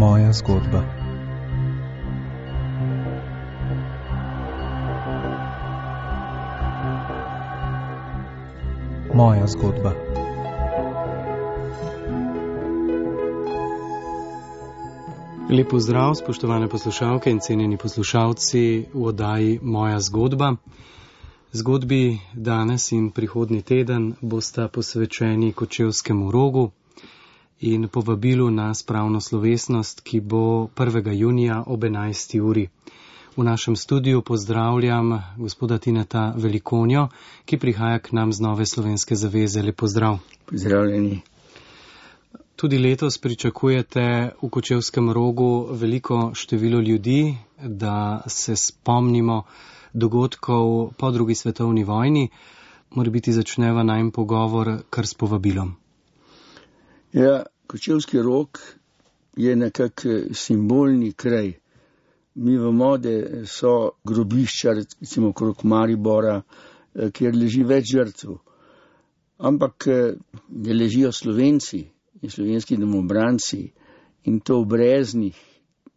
Moja zgodba. Moja zgodba. Lep pozdrav, spoštovane poslušalke in cenjeni poslušalci v oddaji Moja zgodba. Zgodbi danes in prihodnji teden bosta posvečeni Kočevskemu rogu in povabilu na spravno slovesnost, ki bo 1. junija ob 11. uri. V našem studiu pozdravljam gospoda Tineta Velikonjo, ki prihaja k nam z Nove slovenske zaveze. Lep pozdrav. Pozdravljeni. Tudi letos pričakujete v Kočevskem rogu veliko število ljudi, da se spomnimo dogodkov po drugi svetovni vojni. Morebiti začneva najin pogovor kar s povabilom. Ja, Kočevski rog je nekak simbolni kraj. Mi vemo, da so grobišča, recimo okrog Maribora, kjer leži več žrtev. Ampak da ležijo Slovenci in slovenski domobranci in to v Breznih,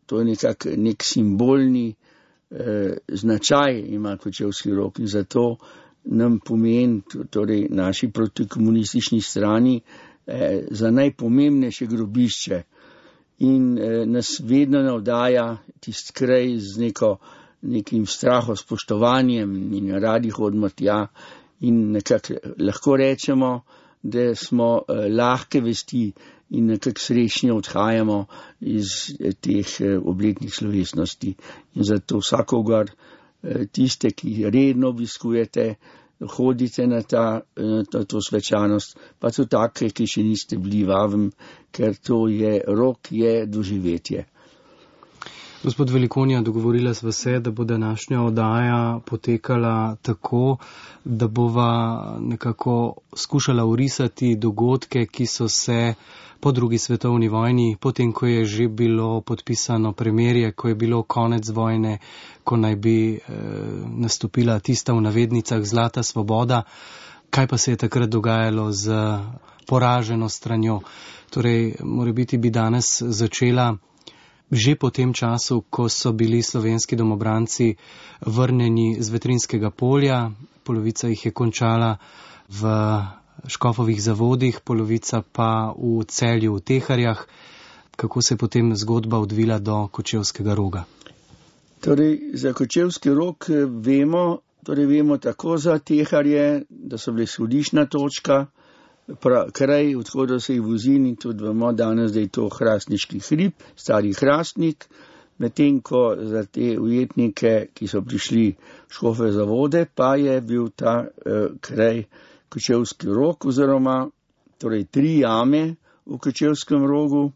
to je nek simbolni značaj ima Kočevski rog in zato nam pomeni, torej naši protikomunistični strani, za najpomembnejše grobišče in nas vedno navdaja tisti kraj z nekim strahospoštovanjem in radi hodimo tja in nekako lahko rečemo, da smo lahke vesti in nekako srečni odhajamo iz teh obletnih slovesnosti. In zato vsakogar tiste, ki redno obiskujete, hodite na to svečanost, pa tudi take, ki še niste bili, vabim, ker to je rok, je doživetje. Gospod Velikonja, dogovorila sva se, da bo današnja oddaja potekala tako, da bova nekako skušala orisati dogodke, ki so se po drugi svetovni vojni, potem ko je že bilo podpisano premirje, ko je bilo konec vojne, ko naj bi nastopila tista v navednicah zlata svoboda, kaj pa se je takrat dogajalo z poraženo stranjo. Torej, morebiti bi danes začela že po tem času, ko so bili slovenski domobranci vrnjeni z Vetrinskega polja, polovica jih je končala v Škofovih zavodih, polovica pa v Celju, v Teharjah. Kako se je potem zgodba odvila do Kočevskega roga? Torej, za Kočevski rog vemo tako za Teharje, da so bile izhodiščna točka, kraj, odhoda se jih vozil in tudi vemo danes, da je to Hrastniški hrib, stari Hrastnik, medtem ko za te ujetnike, ki so prišli v Škofove zavode, pa je bil ta kraj Kočevski rog oziroma torej 3 jame v Kočevskem rogu.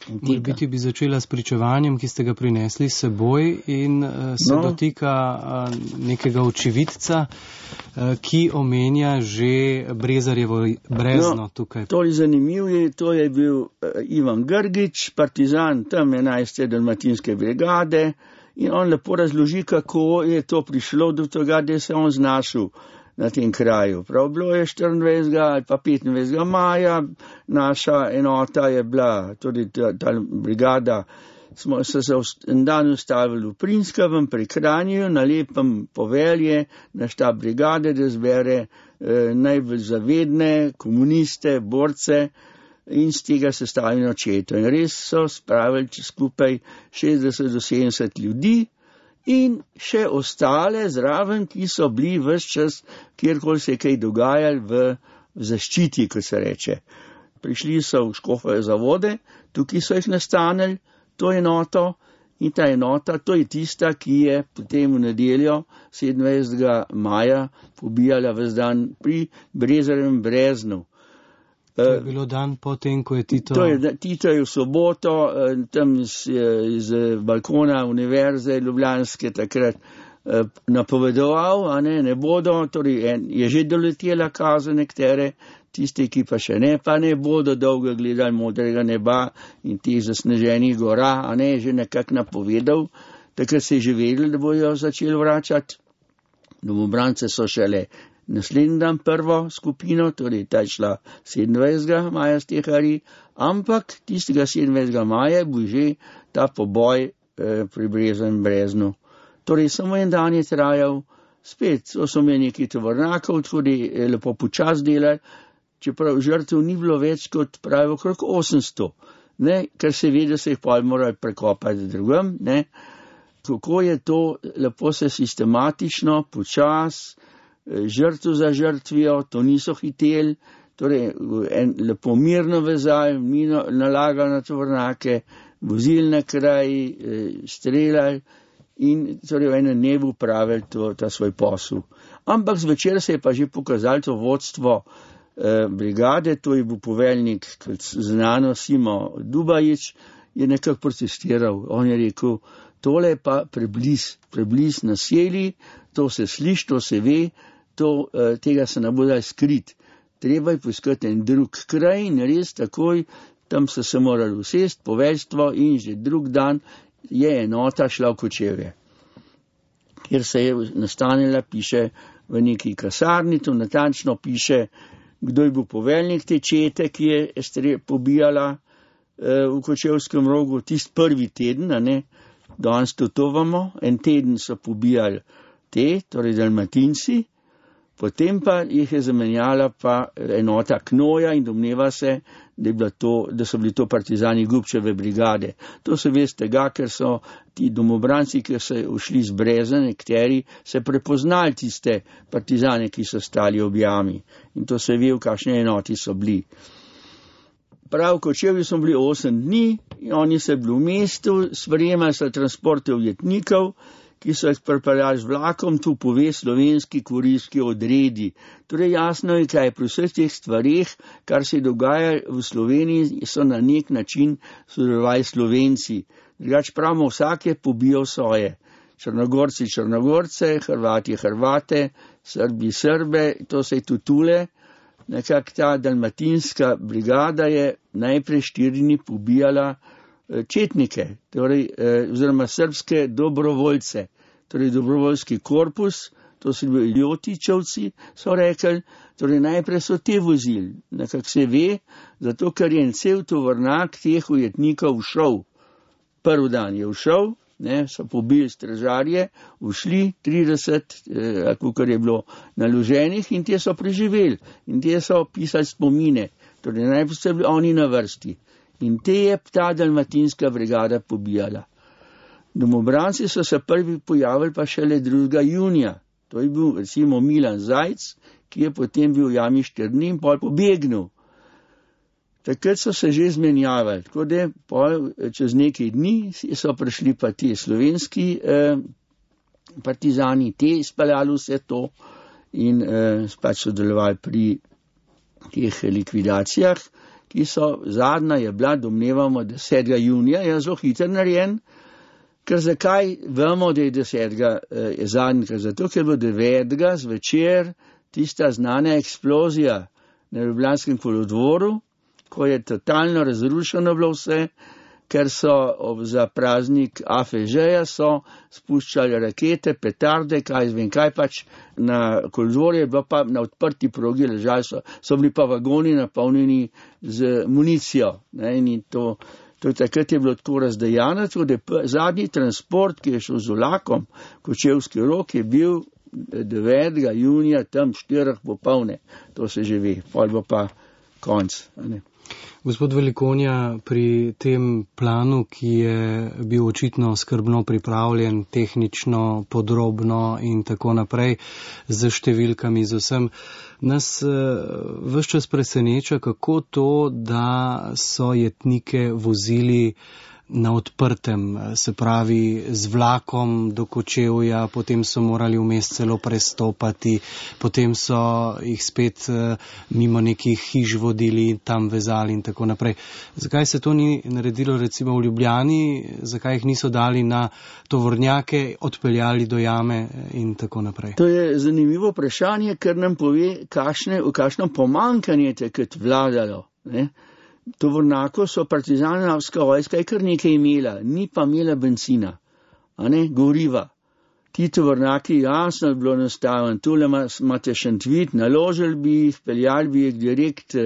Morebiti bi začela s pričevanjem, ki ste ga prinesli s seboj in se dotika nekega očividca, ki omenja že Brezarjevo brezno tukaj. To je zanimivo, to je bil Ivan Grgič, partizan tam 11. dalmatinske brigade in on lepo razloži, kako je to prišlo do tega, da se on znašel na tem kraju. Prav bilo je 24. ali pa 25. maja, naša enota je bila, tudi ta brigada, smo se en dan ustavili v Prinskavem pri Kranju, na lepem povelje na štab brigade, da zbere najbolj zavedne komuniste, borce in z tega sestavljeno četo. In res so spravili skupaj 60 do 70 ljudi, in še ostale zraven, ki so bili ves čas, kjerkoli se je kaj dogajali v zaščiti, kot se reče. Prišli so v Škofove zavode, tukaj so jih nastanili, to enoto, in ta enota, to je tista, ki je potem v nedeljo 27. maja pobijala ves dan pri Brezarjevem breznu. To je bilo dan potem, ko je Tito... Tito je v soboto tam iz balkona univerze ljubljanske takrat napovedoval, ne bodo, torej je že doletela kazen nekatere, tiste, ki pa še ne, pa ne bodo dolgo gledali modrega neba in teh zasneženih gora, že nekako napovedal, takrat se je že vedeli, da bojo začeli vračati. Domobrance so šele naslednji dan prvo skupino, torej ta je šla 27. maja s tehari, ampak tistega 27. maja bo že ta poboj pri Breznu. Torej samo en dan je trajal, spet so imeli nekaj tovornjakov, tudi lepo počas delali, čeprav žrtev ni bilo več kot pravi okrog 800, ne, ker se ve, da se jih pol morali prekopati drugem, ne. Kako je to, lepo se sistematično, počas, žrtev za žrtvijo, to niso hiteli, torej en lepo mirno vezali, mino nalagali na tovornjake, vozili na kraj, streljali in torej v enem dnevu pravili ta svoj posel. Ampak zvečer se je pa že pokazalo to vodstvo brigade, to je bil poveljnik, znano Simo Dubajić, je nekako protestiral. On je rekel, tole je pa prebliz naselij, to se sliši, to se ve, tega se ne bo daj skrit. Treba je poiskati en drug kraj in res takoj, tam so se morali usesti, poveljstvo in že drug dan je enota šla v Kočevje. Kjer se je nastanila, piše v neki kasarni, to natančno piše, kdo je bil poveljnik te čete, ki je pobijala v Kočevskem Rogu, tist prvi teden, ne, danes to vamo, en teden so pobijali torej Dalmatinci, potem pa jih je zamenjala pa enota Knoja in domneva se, da so bili to partizani Gubčeve brigade. To se ve z tega, ker so ti domobranci, ki so ušli z Brezna, nekateri se prepoznali tiste partizane, ki so stali ob jami. In to se ve, v kakšne enoti so bili. Prav v Kočevju smo bili 8 dni, in oni so bili v mestu, sprejemali so transporte ujetnikov, ki so jih pripeljali z vlakom, tu pove slovenski kurirski odredi. Torej jasno je, kaj pri vseh teh stvarih, kar se je dogajalo v Sloveniji, so na nek način sodelovali Slovenci. Drugač pravimo, vsak je pobijal svoje. Črnogorci Črnogorce, Hrvati Hrvate, Srbi Srbe, to se je tudi tule. Nekako ta dalmatinska brigada je najprej 4 dni pobijala četnike, torej, oziroma srbske dobrovoljce, torej dobrovoljski korpus, to so bili Ljotičevci, so rekli, torej najprej so te vozili, nekako se ve, zato ker je en cel tovornjak teh ujetnikov všel. Prvi dan je všel, ne, so pobili stražarje, ušli 30, kakor je bilo naloženih in te so preživeli in te so pisali spomine, torej najprej so bili oni na vrsti. In te je ta dalmatinska brigada pobijala. Domobranci so se prvi pojavili pa šele 2. junija. To je bil recimo Milan Zajc, ki je potem bil v jami 4 dni in pol pobegnil. Takrat so se že zmenjavali, tako da pol čez nekaj dni so prišli pa ti slovenski partizani, te izpeljali vse to in pač sodelovali pri teh likvidacijah, ki so zadnja je bila, domnevamo, 10. junija, je zelo hiter narejen, ker zakaj vemo, da je 10. je zadnji, zato ker bo 9. zvečer tista znana eksplozija na Ljubljanskem kolodvoru, ko je totalno razrušeno bilo vse, ker so za praznik AFŽ-ja so spuščali rakete, petarde, kaj pač na kolodvorju, bilo pa na odprti progi ležali so bili pa vagoni napolnjeni z municijo. Ne, in to takrat je bilo tako razdejano, tako da zadnji transport, ki je šel z vlakom, Kočevski Rok, je bil 9. junija, tam 4 popoldne, to se že ve, pol bo pa konc. Ne. Gospod Velikonja, pri tem planu, ki je bil očitno skrbno pripravljen, tehnično, podrobno in tako naprej, z številkami, z vsem, nas ves čas preseneča, kako to, da so jetnike vozili na odprtem, se pravi z vlakom do Kočevja, potem so morali vmes celo prestopati, potem so jih spet mimo nekih hiš vodili, tam vezali in tako naprej. Zakaj se to ni naredilo recimo v Ljubljani, zakaj jih niso dali na tovornjake, odpeljali do jame in tako naprej? To je zanimivo vprašanje, ker nam pove, kakšno pomanjkanje takrat vladalo, ne? Tovornjako so partizanska vojska je kar nekaj imela, ni pa imela benzina, goriva. ti tovornjaki jasno je bilo nastaven, tule imate Šentvit, naložili bi jih, peljali bi jih direkt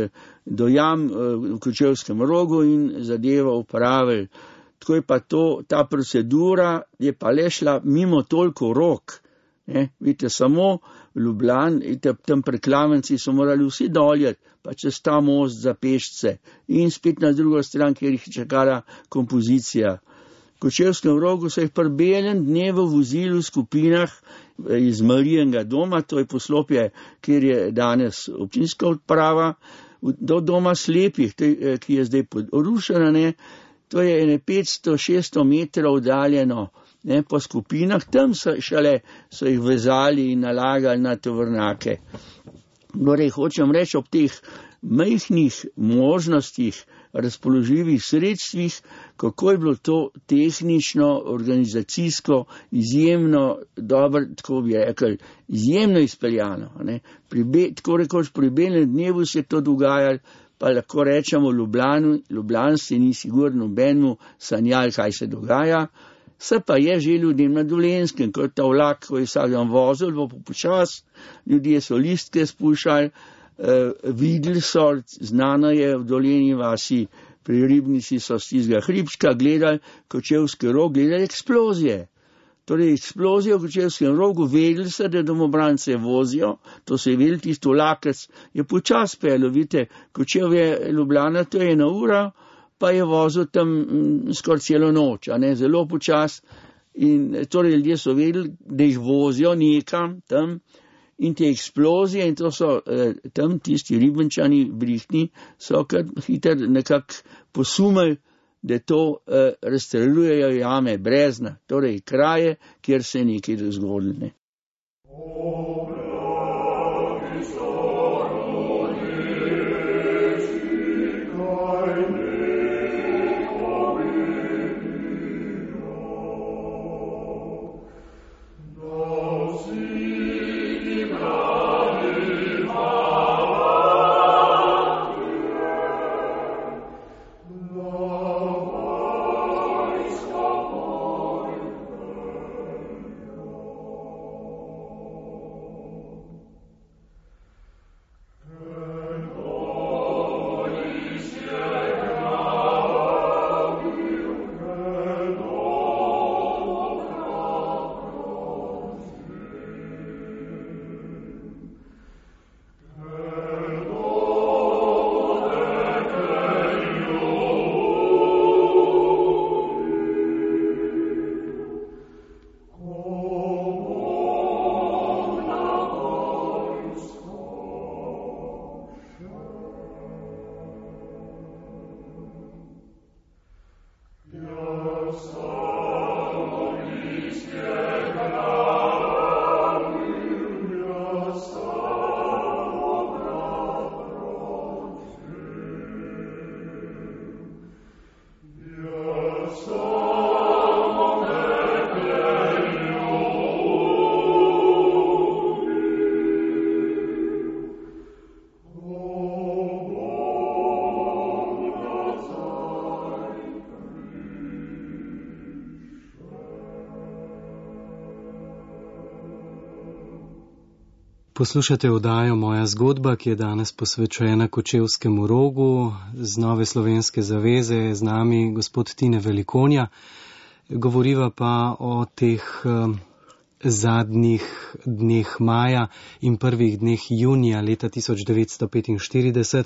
do jam v Kočevskem Rogu in zadevo upravili. Tako je pa ta procedura je pa le šla mimo toliko rok. Vidite, samo v Ljubljani, tam preklavenci so morali vsi doljeti, pa čez ta most za pešce in spet na drugo stran, kjer jih čakala kompozicija. V Kočevskem Rogu so jih pri belem dnevu vozili v skupinah iz Marijenega doma, to je poslopje, kjer je danes občinska odprava, do doma slepih, ki je zdaj porušena, to je 500-600 metrov oddaljeno, po skupinah, tam so jih vezali in nalagali na tovornjake. Torej, hočem reči, ob teh majhnih možnostih, razpoložljivih sredstvih, kako je bilo to tehnično, organizacijsko, izjemno dobro, tako bi rekli, izjemno izpeljano. Tako rekoč pri belem dnevu se je to dogajalo, pa lahko rečemo Ljubljanci ni sigurno nobenemu sanjali, kaj se dogaja. Se pa je že ljudem na Dolenjskem, ko je ta vlak, ko je vsak dan vozil, bo počas, ljudje so listke spuščali, videli so, znano je v Dolenji vasi, pri Ribnici so z tistega hribčka gledali Kočevski Rog, gledali eksplozije. Torej eksplozije v Kočevskem Rogu, vedeli so, da domobrance vozijo, to se je vedeli, tisto vlakec je počas peljal, vidite, Kočevje Ljubljana, to je 1 ura, pa je vozil tam skoraj celo noč, zelo počas, in torej ljudje so vedeli, da jih vozijo nekam tam, in te eksplozije, in to so tam tisti Ribenčani brihtni, so kar hitro nekako posumili, da to razstreljujejo jame, brezna, torej kraje, kjer se je nekaj zgodilo. Poslušate oddajo Moja zgodba, ki je danes posvečena Kočevskemu Rogu. Z Nove slovenske zaveze je z nami gospod Tine Velikonja. Govoriva pa o teh zadnjih dneh maja in prvih dneh junija leta 1945,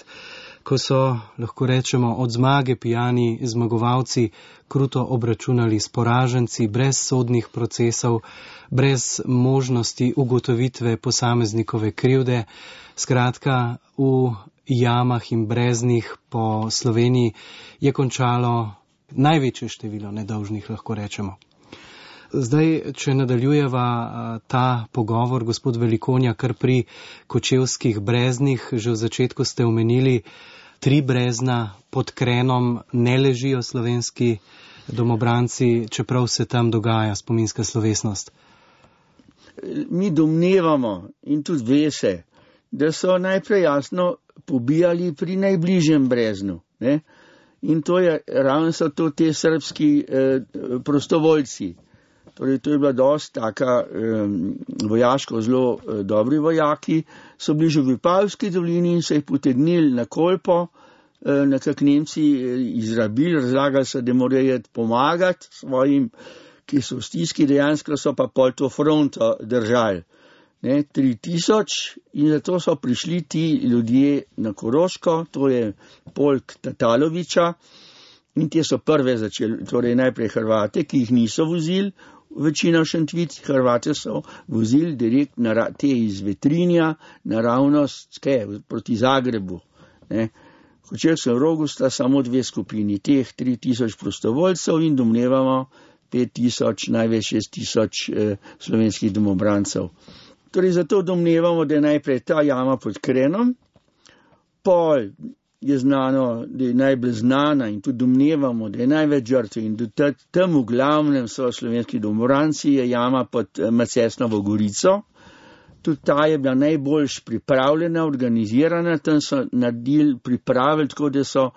ko so, lahko rečemo, od zmage pijani zmagovalci kruto obračunali s poraženci, brez sodnih procesov, brez možnosti ugotovitve posameznikove krivde. Skratka, v jamah in breznih po Sloveniji je končalo največje število nedolžnih, lahko rečemo. Zdaj, če nadaljujeva ta pogovor, gospod Velikonja, kar pri kočevskih breznih, že v začetku ste omenili 3 brezna, pod Krenom ne ležijo slovenski domobranci, čeprav se tam dogaja spominska slovesnost. Mi domnevamo in tudi ve se, da so najprej jasno pobijali pri najbližjem breznu. In to je, ravno so to te srbski prostovoljci. Torej, to je bila dosti taka vojaško zelo dobri vojaki, so bili že v Vipavski dolini in so jih potegnili na Kolpo, nekak Nemci izrabili, razlagali so, da morajo pomagati svojim, ki so v stiski, dejansko so pa pol to fronto držali. 3000 in zato so prišli ti ljudje na Koroško, to je polk Tataloviča in te so prve začeli, torej najprej Hrvate, ki jih niso vozili, večina v Šentvid, Hrvate so vozili direkt te iz Vetrinja naravnost proti Zagrebu. V Kočevskem Rogu sta samo 2 skupini, teh 3000 prostovoljcev in domnevamo 5000, največ 6000 slovenskih domobrancev. Torej zato domnevamo, da je najprej ta jama pod Krenom, pol je znano, da je najbolj znana in tudi domnevamo, da je največ žrtev in da tam v glavnem so slovenski domobranci, je jama pod Macesnovo Gorico. Tudi ta je bila najboljš pripravljena, organizirana, tam so pripravili, tako da so,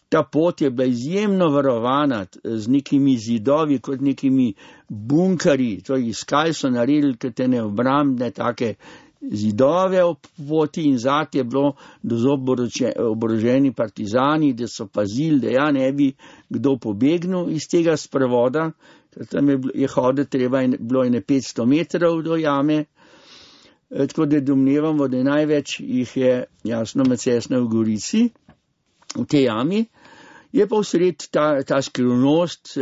ta pot je bila izjemno varovana z nekimi zidovi, kot nekimi bunkarji, to je iskali so naredili katene obrambne take zidove ob poti in zat je bilo dozob oboroženi partizani, da so pazili, da ja ne bi kdo pobegnil iz tega sprevoda, ker tam je hoditi treba, bilo je 500 metrov do jame, tako da domnevamo, da največ jih je jasno Macesna v Gorici, v tej jami. Je pa vsred ta skrivnost,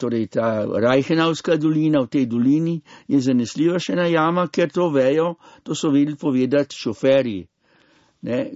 torej ta Reichenauska dolina, v tej dolini je zanesljiva še ena jama, ker to vejo, to so vedeli povedati šoferji.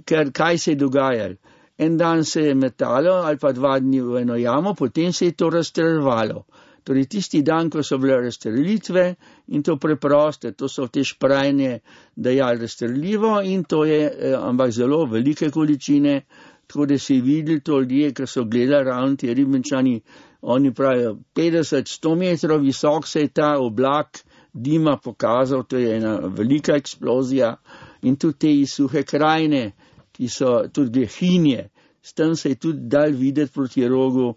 Ker kaj se je dogajalo? En dan se je metalo ali pa 2 dni v eno jamo, potem se je to razstreljevalo. Torej tisti dan, ko so bile razstrelitve in to preproste, to so te šprajne dajali razstreljivo in to je, ampak zelo velike količine, tako da si videli to ljudje, ki so gledali ravno ti Ribničani, oni pravijo 50-100 metrov visok se je ta oblak dima pokazal, to je ena velika eksplozija in tudi te suhe krajine, ki so tudi Hinje, s tem se je tudi dal videti proti Rogu,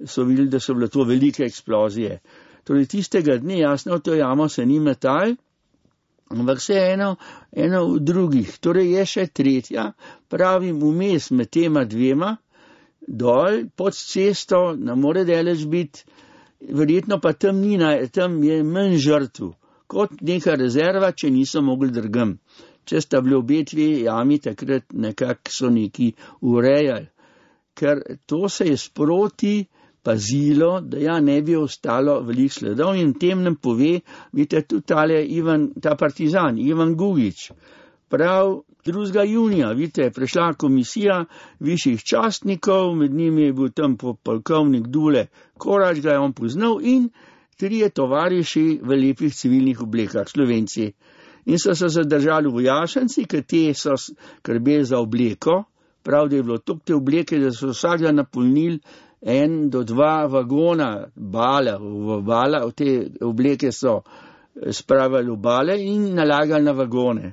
so videli, da so bile to velike eksplozije. Torej tistega dne, jasno, v to jamo se ni metal, ampak se eno v drugih. Torej je še tretja, pravim, vmes med tema 2 dol, pod cesto, ne more daleč biti, verjetno pa tam je manj žrtv, kot neka rezerva, če niso mogli drugam. Če sta bili obe 2 jami, takrat nekako so neki urejali, ker to se je sproti pazilo, da ja ne bi ostalo veliko sledov in tem nam pove, vidite, tudi ta partizan, Ivan Gugič, prav 2. junija, vidite, prišla komisija višjih častnikov, med njimi je bil tam polkovnik Dule Korač, ga je on poznal in 3 tovariši v lepih civilnih oblekah, Slovenci. In so se zadržali vojašenci, ker te so skrbeli za obleko, prav, da je bilo toliko te obleke, da so vsak dan napolnili 1 do 2 vagona bala, v te obleke so spravili v bale in nalagali na vagone.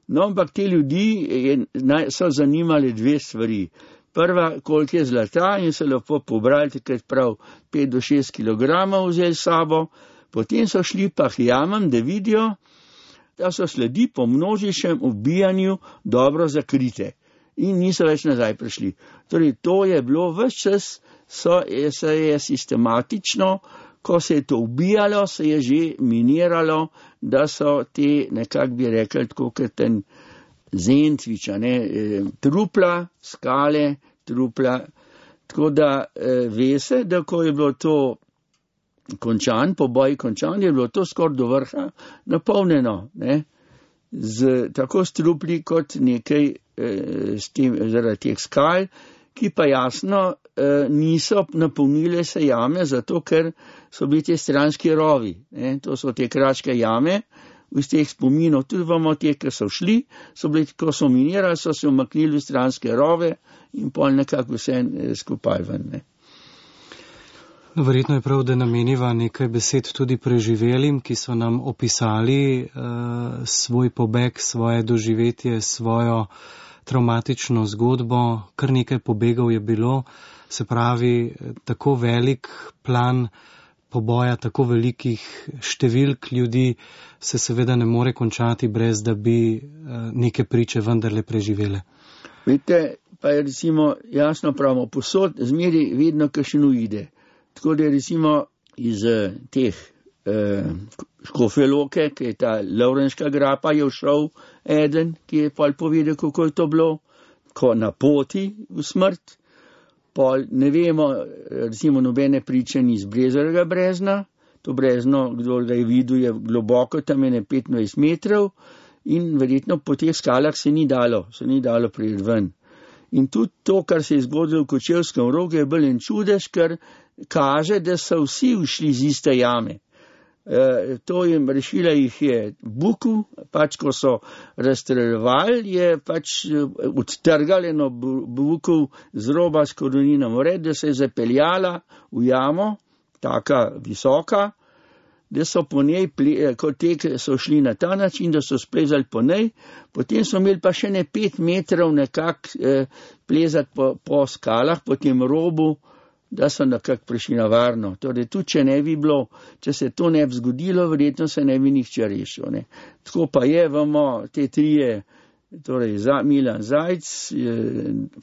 No, ampak te ljudi so zanimali 2 stvari. Prva, koliko je zlata in so lepo pobrali, takrat prav 5 do 6 kilogramov vzeli sabo, potem so šli pa k jamam, da vidijo, da so sledi po množičnem ubijanju dobro zakrite in niso več nazaj prišli. Torej, to je bilo ves čas, se je sistematično, ko se je to ubijalo, se je že miniralo, da so te, nekak bi rekli, tako kot ten Zentviča, trupla, skale, trupla. Tako da ve se, da ko je bilo to poboj končan, je bilo to skoraj do vrha napolnjeno, tako s trupli kot nekaj zaradi teh skal, ki pa jasno niso napolnile se jame, zato ker so bili te stranski rovi. To so te kraške jame, iz teh spominov, tudi vamo te, ki so šli, so bili, ko so minirali, so se umaknili v stranske rove in pol nekako vse skupaj ven. No, verjetno je prav, da nameniva nekaj besed tudi preživelim, ki so nam opisali svoj pobeg, svoje doživetje, svojo traumatično zgodbo. Kar nekaj pobegov je bilo, se pravi, tako velik plan poboja tako velikih številk ljudi se seveda ne more končati, brez da bi neke priče vendarle preživele. Vidite, pa je recimo jasno pravimo, posod zmeri vedno kakšen uide. Tako da je recimo iz teh Škofje Loke, ki je ta Lovrenška grapa, je všel eden, ki je pol povedal, kako je to bilo, ko na poti v smrt. Pol ne vemo, recimo nobene priče ni iz Brezovega brezna, to brezno, kdo ga je videl, je globoko, tam je 25 metrov in verjetno po teh skalah se ni dalo priti ven. In tudi to, kar se je zgodilo v Kočevskem Rogu, je bil en čudež, ker kaže, da so vsi ušli iz iste jame. To jim rešila jih je Buku, pač ko so razstreljevali, je pač odtrgali eno Buku z roba s koroninom vred, da se je zapeljala v jamo, taka visoka, da so po njej, kot te so šli na ta način, da so splezali po njej, potem so imeli pa še 5 metrov nekako plezati po skalah, po tem robu, da so nekako prišli na varno. Torej, tudi če ne bi bilo, če se to ne bi zgodilo, verjetno se ne bi nihče rešil. Ne. Tako pa je, vemo, te trije, torej Milan Zajc,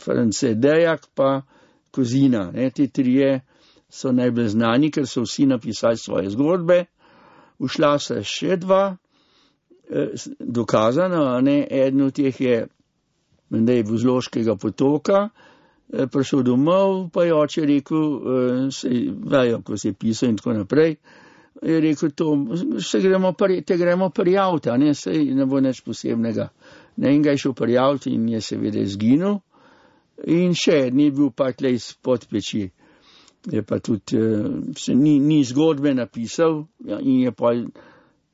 France Dejak pa Kozina. Ne. Te trije so najbolj znani, ker so vsi napisali svoje zgodbe. Ušla se še 2, dokazano, ne. Eden od teh je, da je Vuzloškega potoka, prišel domov, pa je oče rekel, vejo, ko se je pisal in tako naprej, je rekel, te gremo prijaviti, ne, sej ne bo nič posebnega. Ne, in ga je šel prijaviti in je seveda izginil. In še eden je bil pa tle izpod peči. Je pa tudi, ni zgodbe napisal in je pa,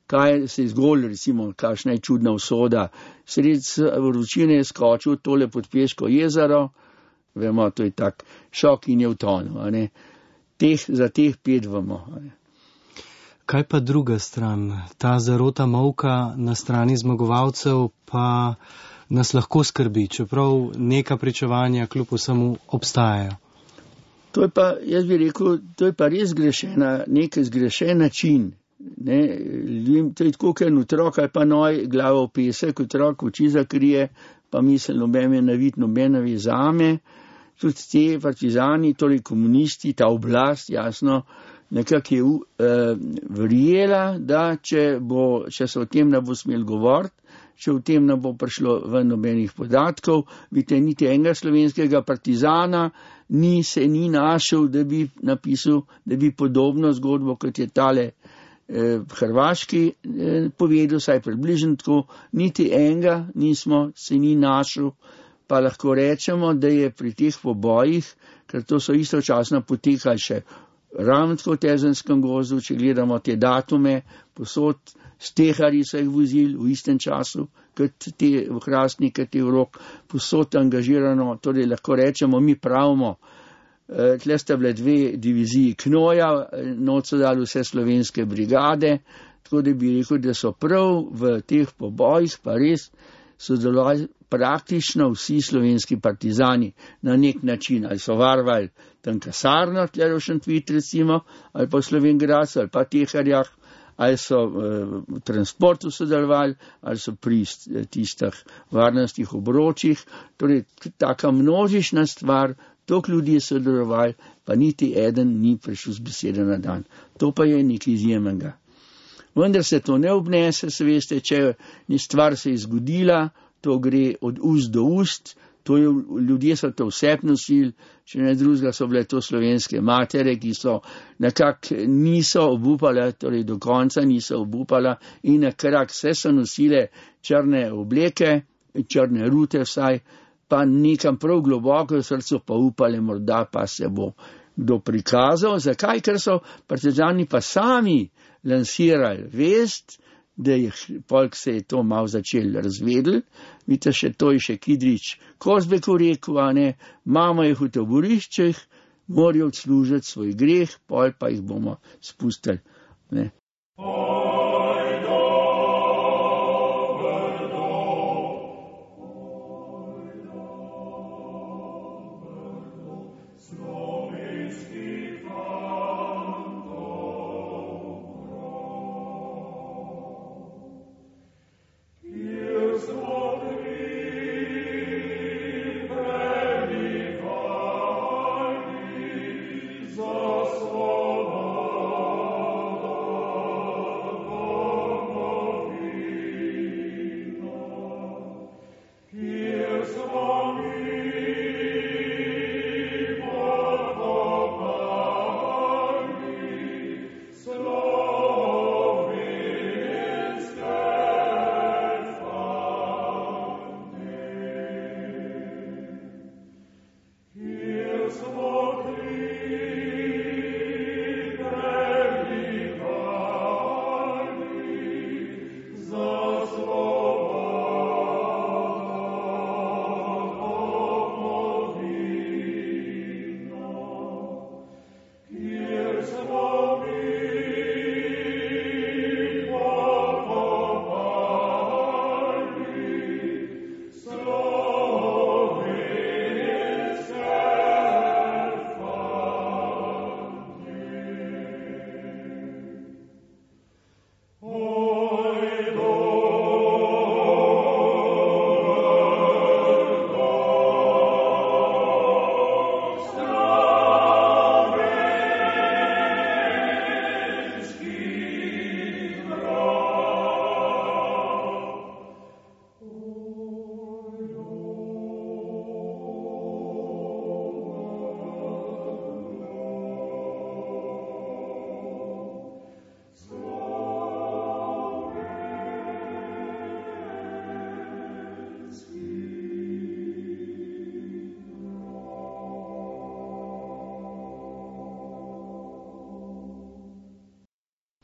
kaj se je zgodilo, recimo, kakšna je čudna usoda. Sred vročine je skočil tole pod Peško jezero, vemo, to je tak šok in je utonil. Za teh 5 vemo. Kaj pa druga stran? Ta zarota molka na strani zmagovalcev pa nas lahko skrbi, čeprav neka pričevanja kljub vsemu obstajajo. To je pa, jaz bi rekel, to je pa res nek zgrešen način. Ne? To je tako, ker otrok ali pa noj glavo v pesek, otrok oči zakrije, pa misel nobene navit, nobene zame. Tudi te partizani, torej komunisti, ta oblast, jasno, nekako je verjela, da če se o tem ne bo smel govoriti, če o tem ne bo prišlo ven nobenih podatkov, vidite, niti enega slovenskega partizana se ni našel, da bi napisal, da bi podobno zgodbo, kot je tale hrvaški povedal, saj približno tako, niti enega se ni našel. Pa lahko rečemo, da je pri teh pobojih, ker to so istočasno potekali še ravno v Tezenskem gozdu, če gledamo te datume, posod steharji so jih vozili v istem času, kot te v Hrastnik, kot te v Rok, posod angažirano, torej lahko rečemo, mi pravimo, tle sta bile 2 diviziji Knoja, noč so dali vse slovenske brigade, tako da bi rekel, da so prav v teh pobojih pa res sodelovali praktično vsi slovenski partizani na nek način, ali so varovali tam kasarno, tle v Šentvid recimo, ali pa v Slovenjgradcu, ali pa Teharjah, ali so v transportu sodelovali, ali so pri tistih varnostnih obročih, torej taka množična stvar, toliko ljudi je sodelovali, pa niti eden ni prišel z besede na dan. To pa je nekaj izjemnega. Vendar se to ne obnese, se veste, če stvar se je zgodila, to gre od ust do ust, ljudje so to vse nosili, če ne drugega so bile to slovenske matere, ki so nekako niso obupale, torej do konca niso obupala in na krak vse so nosile črne obleke, črne rute vsaj, pa nekam prav globoko v srcu pa upale, morda pa se bo kdo prikazal. Zakaj? Ker so partizani pa sami lansirali vest, da je polk se je to malo začel razvedel. Vidite, še to je še Kidrič Kozbeku rekel, mama jih v taboriščih, morajo odslužiti svoj greh, pol pa jih bomo spustili. Ne.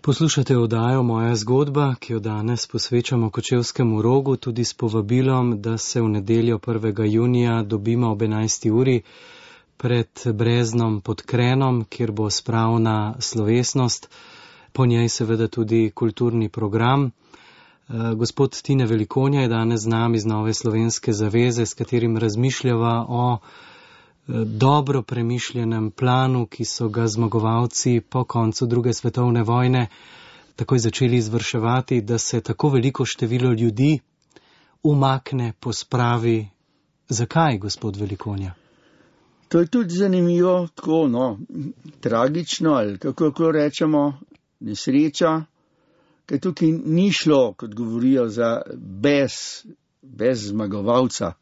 Poslušate oddajo Moja zgodba, ki jo danes posvečamo Kočevskemu Rogu, tudi s povabilom, da se v nedeljo 1. junija dobimo ob 11. uri pred Breznom pod Krenom, kjer bo spravna slovesnost, po njej seveda tudi kulturni program. Gospod Tine Velikonja je danes z nami iz Nove slovenske zaveze, s katerim razmišljava o dobro premišljenem planu, ki so ga zmagovalci po koncu druge svetovne vojne takoj začeli izvrševati, da se tako veliko število ljudi umakne, pospravi. Zakaj, gospod Velikonja? To je tudi zanimivo, tako, tragično, ali kako rečemo, nesreča, ker tukaj ni šlo, kot govorijo, za bez zmagovalca,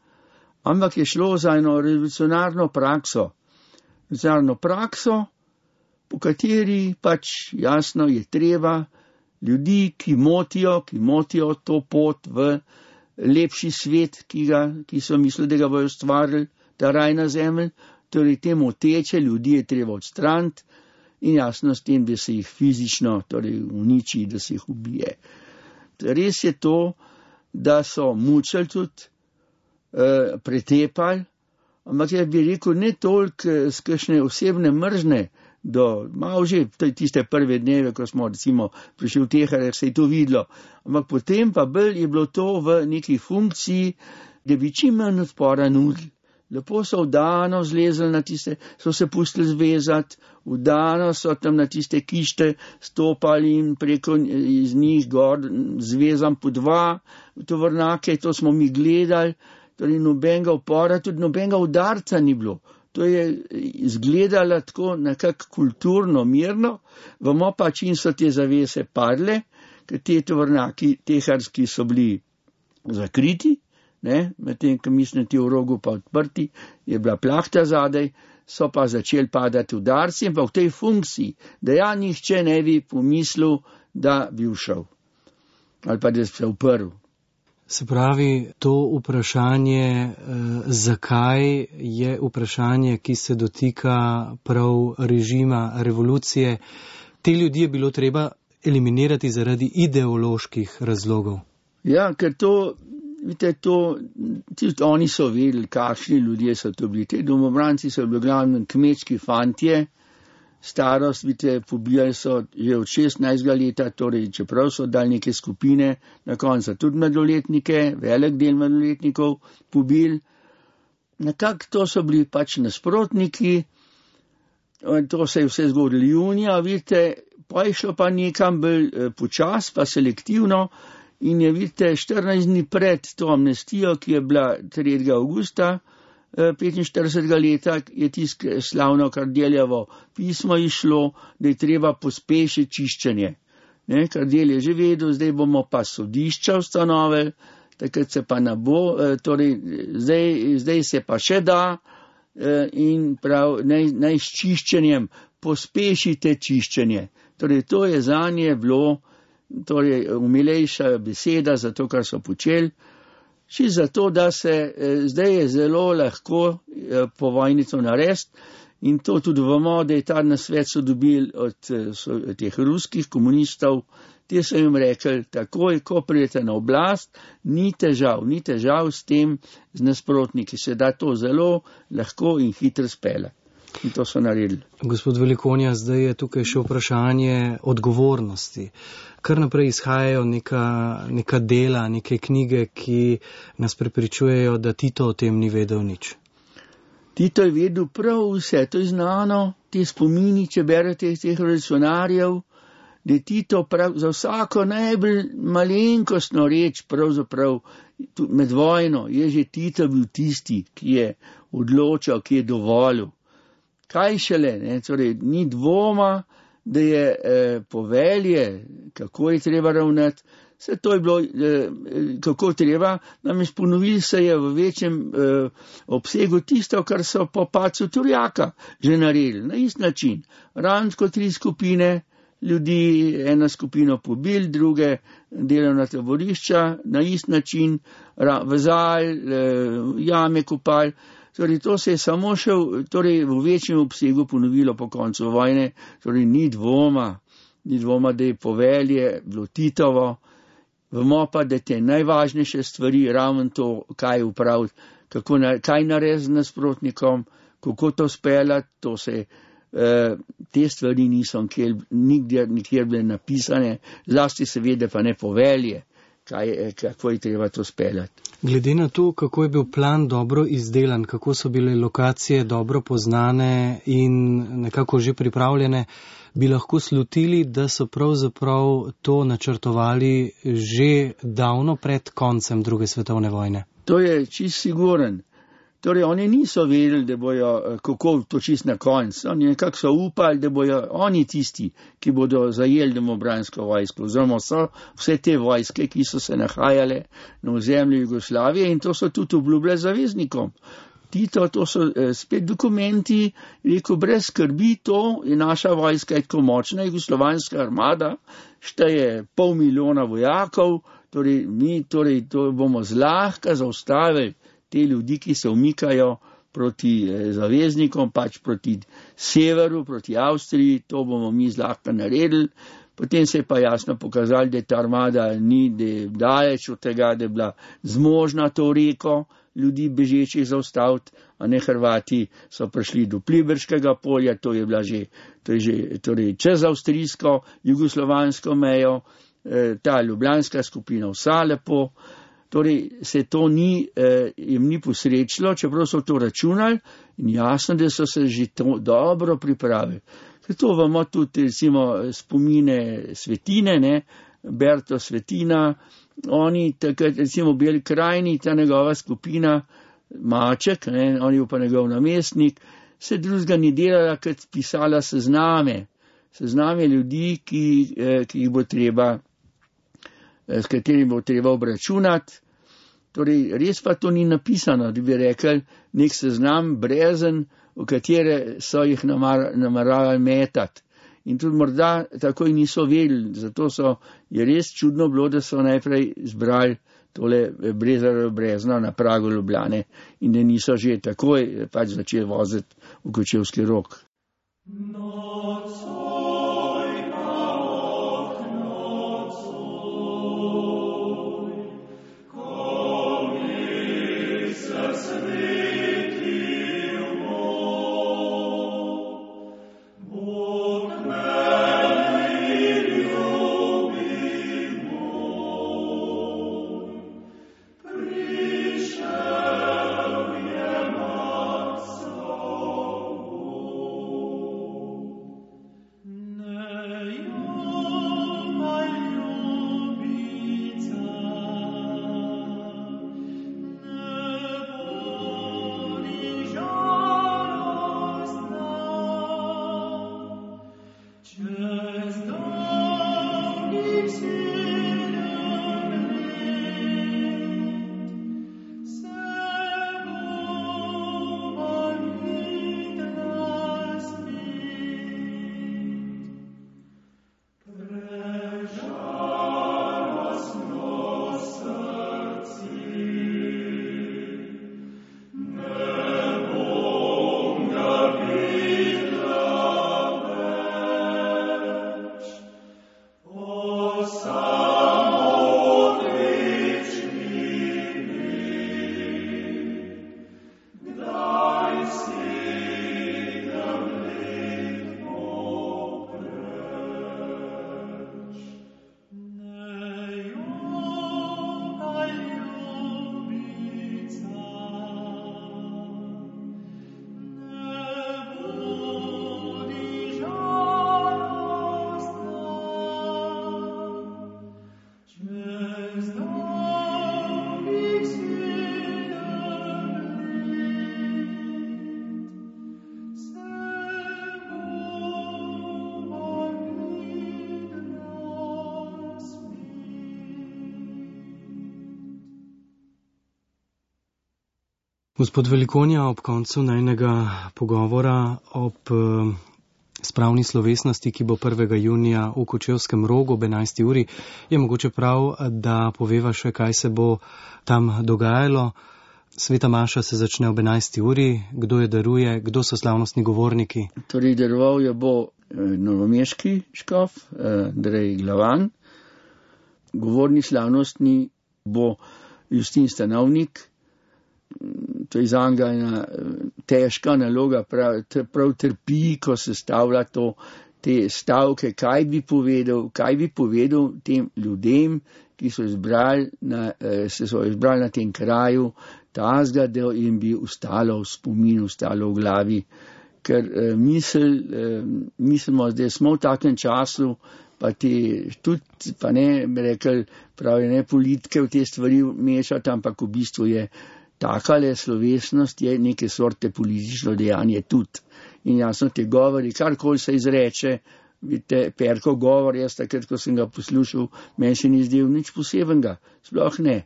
ampak je šlo za eno revolucionarno prakso, po kateri pač jasno je treba ljudi, ki motijo to pot v lepši svet, ki so mislili, da ga bojo ustvarili, ta raj na zemlji, torej te moteče ljudi je treba odstraniti in jasno s tem, da se jih fizično uniči, da se jih ubije. Res je to, da so mučili tudi, pretepali, ampak jaz bi rekel, ne toliko z kakšne osebne mržne, malo že tiste prve dneve, ko smo recimo prišli v Tehereh, se je to videlo, ampak potem pa bolj je bilo to v neki funkciji, da bi čim manj odpora nudili. Lepo so vdano zlezli na tiste, so se pustili zvezati, vdano so tam na tiste kište stopali in preko iz njih gor zvezam po 2 tovornake, to smo mi gledali, torej nobenega upora, tudi nobenega udarca ni bilo. To je izgledalo tako nekako kulturno, mirno, vemo pa, čim so te zavese padle, ker te tovornaki teharski so bili zakriti, medtem, ko mislim, ti v Rogu pa odprti, je bila plahta zadaj, so pa začeli padati udarci, in pa v tej funkciji, da nihče ne bi pomislil, da bi ušel. Ali pa da bi se uprl. Se pravi, to vprašanje, zakaj je vprašanje, ki se dotika prav režima, revolucije, te ljudi je bilo treba eliminirati zaradi ideoloških razlogov. Ja, ker to, vidite, tudi oni so vedeli, kakšni ljudje so to bili. Te domobranci so bili glavno kmečki fantje, starost, vidite, pobijali so že od 16. leta, torej čeprav so dali neke skupine, na koncu tudi mladoletnike, velik del mladoletnikov pobili. Nekako to so bili pač nasprotniki, to se je vse zgodilo junija, vidite, pa je šlo pa nekam bolj počas, pa selektivno, in je, vidite, 14 dni pred to amnestijo, ki je bila 3. augusta 45. leta, je tisk slavno Kardeljevo pismo išlo, da je treba pospešiti čiščenje. Kardelj je že vedel, zdaj bomo pa sodišča ustanovili, takrat se pa ne bo, torej zdaj se pa še da, in prav naj s čiščenjem pospešite čiščenje. Torej to je zanje bilo umilejša beseda za to, kar so počeli. Še zato, da se zdaj je zelo lahko po vojni to narediti, in to tudi vemo, da je ta nasvet so dobili od teh ruskih komunistov. Te so jim rekli, takoj, ko pridete na oblast, ni težav s tem, z nasprotniki, se da to zelo lahko in hitro spele. In to so naredili. Gospod Velikonja, zdaj je tukaj še vprašanje odgovornosti. Kar naprej izhajajo neka dela, neke knjige, ki nas prepričujejo, da Tito o tem ni vedel nič. Tito je vedel prav vse, to je znano, te spomini, če berete teh revolucionarjev, da je Tito prav za vsako najbolj malenkostno reč, pravzaprav med vojno, je že Tito bil tisti, ki je odločal, ki je dovolil. Kaj šele, torej ni dvoma, da je povelje, kako je treba ravnati, vse to je bilo, kako treba, namreč ponovili se je v večjem obsegu tisto, kar so po padcu Turjaka že naredili, na isti način. Ransko 3 skupine ljudi, ena skupino pobili, druge delovna taborišča, na isti način, vezali, jame kopali. Torej, to se je samo še v večjem obsegu ponovilo po koncu vojne, torej ni dvoma, ni dvoma, da je povelje bilo Titovo. Vemo pa, da te najvažnejše stvari, ravno to, kaj upraviti, kaj narediti z nasprotnikom, kako to speljati, te stvari niso nikjer bile napisane, zlasti seveda pa ne povelje, kako je treba to speljati. Glede na to, kako je bil plan dobro izdelan, kako so bile lokacije dobro poznane in nekako že pripravljene, bi lahko slutili, da so pravzaprav to načrtovali že davno pred koncem druge svetovne vojne. To je čist siguren. Torej, oni niso vedeli, da bojo, kako to čist na konc. Oni nekako so upali, da bojo oni tisti, ki bodo zajeli domobransko vojsko. Oziroma so vse te vojske, ki so se nahajale na ozemlju Jugoslavije in to so tudi obljubile zaveznikom. Tito, to so spet dokumenti, rekel, brez skrbi, to je naša vojska, je tako močna, jugoslovanska armada, šteje 500 000 vojakov, torej to bomo zlahka zaustavili te ljudi, ki se umikajo proti zaveznikom, pač proti severu, proti Avstriji, to bomo mi zlahka naredili. Potem se je pa jasno pokazali, da ta armada ni daleč od tega, da je bila zmožna to reko ljudi bežečih zaustaviti, a ne Hrvati so prišli do Pliberškega polja, to je bila že čez avstrijsko, jugoslovansko mejo, ta ljubljanska skupina vsa lepo. Torej se to jim ni posrečilo, čeprav so to računali in jasno, da so se že to dobro pripravili. Ker to vemo tudi recimo spomine Svetine, ne, Berto Svetina, oni takrat recimo v Beli krajini, ta njegova skupina, Maček, ne, on je pa njegov namestnik, se drugega ni delala, kot pisala sezname ljudi, ki jih bo treba, s katerimi bo treba obračunati. Torej, res pa to ni napisano, da bi rekli nek seznam brezen, v katere so jih nameravali metati. In tudi morda takoj niso vedeli, zato je res čudno bilo, da so najprej zbrali tole brezno na pragu Ljubljane in da niso že takoj pač začeli voziti v Kočevski Rog. Gospod Velikonja, ob koncu najnega pogovora ob spravni slovesnosti, ki bo 1. junija v Kočevskem Rogu ob 11. uri, je mogoče prav, da poveva še, kaj se bo tam dogajalo. Sveta maša se začne ob 11. uri. Kdo jo daruje, kdo so slavnostni govorniki? Torej, daroval jo bo novomeški škof, Andrej Glavan. Govorni slavnostni bo Justin Stanovnik. To je zanga ena težka naloga, prav trpi, ko se stavlja te stavke, kaj bi povedal tem ljudem, ki so se izbrali na tem kraju, tazga, da jim bi ostalo v spominu, ostalo v glavi. Ker mislimo, da smo v takem času, pa ne bi rekel, pravi ne politike v te stvari mešati, ampak v bistvu je takale slovesnost, je neke sorte politično dejanje tudi. In jasno te govori, karkoli se izreče, vidite, Perko govor, jaz takrat, ko sem ga poslušal, meni se ni zdel nič posebenega, sploh ne.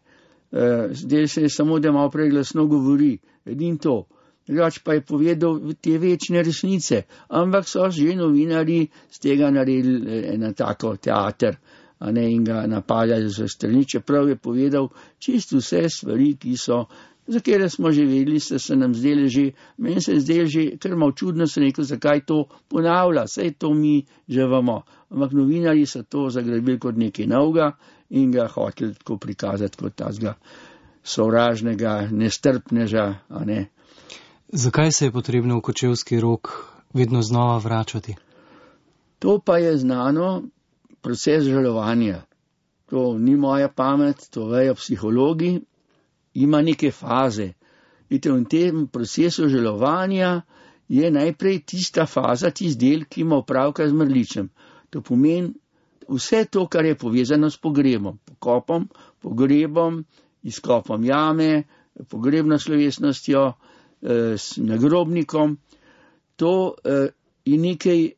Zdaj se je samo, da malo preglasno govori, edin to. Drugač pa je povedal te večne resnice, ampak so že novinarji z tega naredili ena tako teater, in ga napadali za strani, čeprav je povedal čisto vse stvari, za kere smo že vedeli, se nam zdeli že, meni se je zdeli že, ker malo čudno se rekel, zakaj to ponavlja, saj to mi že vemo. Ampak novinarji so to zagrabili kot nekaj novega in ga hoteli tako prikazati kot tazga sovražnega, nestrpneža, Zakaj se je potrebno v Kočevski Rog vedno znova vračati? To pa je znano proces žalovanja. To ni moja pamet, to vejo psihologi. Ima neke faze. Vidite, v tem procesu žalovanja je najprej tista faza, tisti del, ki ima opravka z mrličem. To pomeni vse to, kar je povezano s pogrebom, pokopom, pogrebom, izkopom jame, pogrebno slovesnostjo, s nagrobnikom. To je nekaj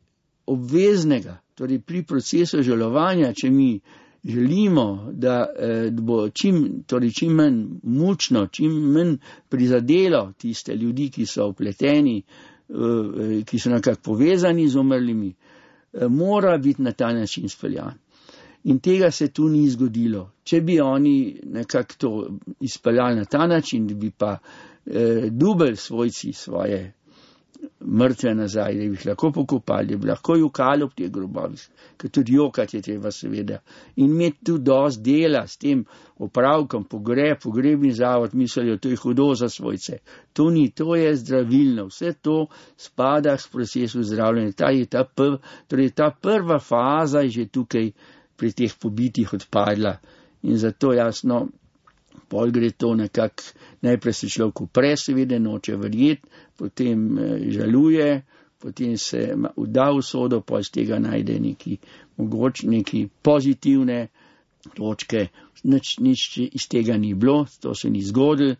obveznega. Torej pri procesu žalovanja, če mi želimo, da bo čim manj mučno, čim manj prizadelo tiste ljudi, ki so vpleteni, ki so nekako povezani z umrlimi, mora biti na ta način speljan. In tega se tu ni zgodilo. Če bi oni nekako to izpeljali na ta način, da bi pa dubelj svojci svoje mrtve nazaj, da bi jih lahko pokopali, da bi lahko jokali ob teh grobovih, ker tudi jokati je treba seveda. In imeti tu dosti dela s tem opravkom, pogrebni zavod, mislijo, to je hudo za svojce. To ni, to je zdravilno, vse to spada v procesu zdravljenja. Torej ta prva faza je že tukaj pri teh pobitih odpadla. In zato jasno, pol gre to nekako, najprej se človek upre, seveda noče verjeti, potem žaluje, potem se vda v sodo, pol z tega najde neki pozitivne točke, nič iz tega ni bilo, to se ni zgodilo,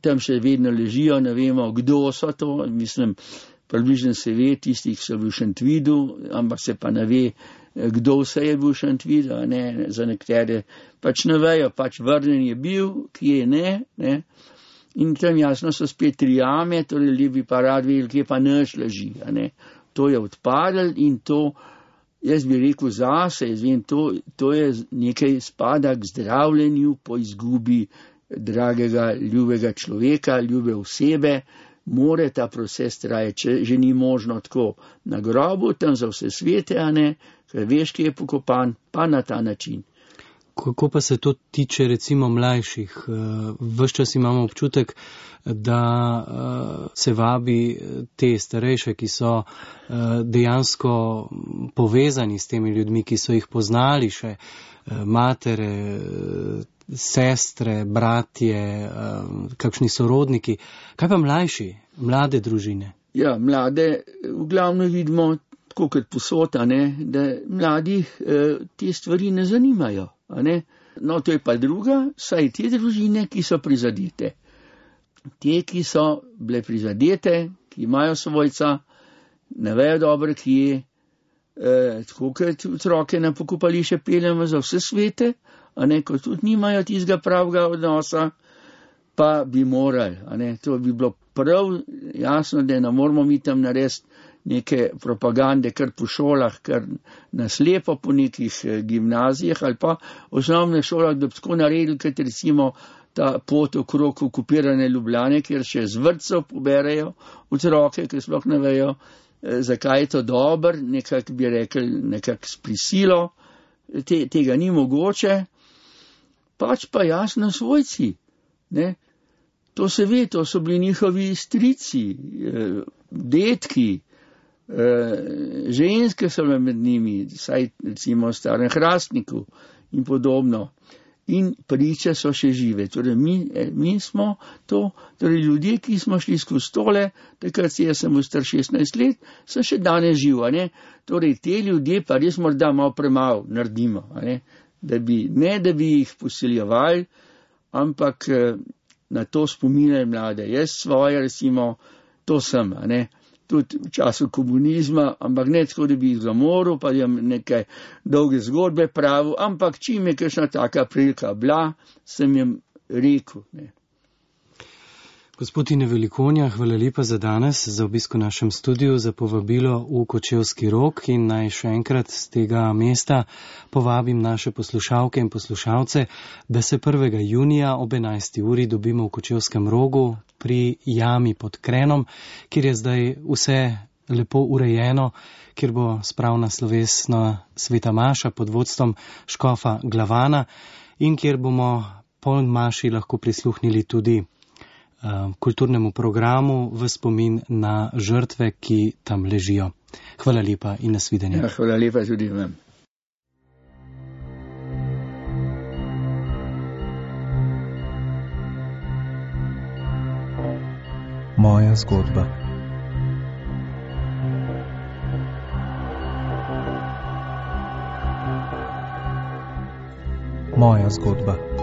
tam še vedno ležijo, ne vemo, kdo so to, mislim, približno se ve, tistih, ki so bili v Šentvidu, ampak se pa ne ve, kdo vse je bil v Šentvidu, za nekatere pač ne vejo, pač vrnen je bil, kje ne. In tam jasno so spet 3 jame, torej ljudje bi pa rad vedeli, kje pa naš leži, To je odpadlo in to, jaz bi rekel zase, jaz vem, to je nekaj spada k zdravljenju po izgubi dragega, ljubega človeka, ljube osebe. More ta proces traje, če že ni možno tako na grobu, tam za vse svete, ker veš, ki je pokopan, pa na ta način. Kako pa se to tiče recimo mlajših? Ves čas imamo občutek, da se vabi te starejše, ki so dejansko povezani s temi ljudmi, ki so jih poznali še, matere, sestre, bratje, kakšni sorodniki. Kaj pa mlajši, mlade družine? Ja, mlade v glavnem vidimo, tako kot posod, da mladih te stvari ne zanimajo. No, to je pa druga, saj te družine, ki so prizadete. Te, ki so bile prizadete, ki imajo svojca, ne vejo dobro, kje, tako kot otroke na pokopališče peljemo za vse svete, ko tudi nimajo tistega pravega odnosa, pa bi morali. To bi bilo prav jasno, da ne moramo mi tam narediti neke propagande kar po šolah, kar naslepo po nekih gimnazijah ali pa osnovne šolah, da bi tako naredili, kot recimo ta pot okrog okupirane Ljubljane, kjer še z vrtcev poberejo otroke, ki sploh ne vejo, zakaj je to dobro, nekako bi rekli, nekako s prisilo, tega ni mogoče, pač pa jasno svojci, ne. To se ve, to so bili njihovi strici, detki, ženske so med njimi, saj recimo v Starem Hrastniku in podobno. In priče so še žive. Torej, mi smo to, torej ljudje, ki smo šli skozi tole, takrat jaz sem star 16 let, so še danes živa, ne. Torej, te ljudje pa res morda malo premalo naredimo, ne. Da bi jih posiljevali, ampak na to spominjajo mlade. Jaz svoje, recimo, to sem, ne. Tudi v času komunizma, ampak ne tako, da bi jih zamoril, pa jim neke dolge zgodbe pravil, ampak čim je kakšna taka prilika bila, sem jim rekel, ne. Gospod Tine Velikonja, hvala lepa za danes, za obisk v našem studiu, za povabilo v Kočevski Rog in naj še enkrat z tega mesta povabim naše poslušalke in poslušalce, da se 1. junija ob 11. uri dobimo v Kočevskem Rogu pri jami pod Krenom, kjer je zdaj vse lepo urejeno, kjer bo spravna slovesna sveta maša pod vodstvom škofa Glavana in kjer bomo po maši lahko prisluhnili tudi kulturnemu programu v spomin na žrtve, ki tam ležijo. Hvala lepa in nasvidenje. Ja, hvala lepa tudi vam. Moja zgodba. Moja zgodba.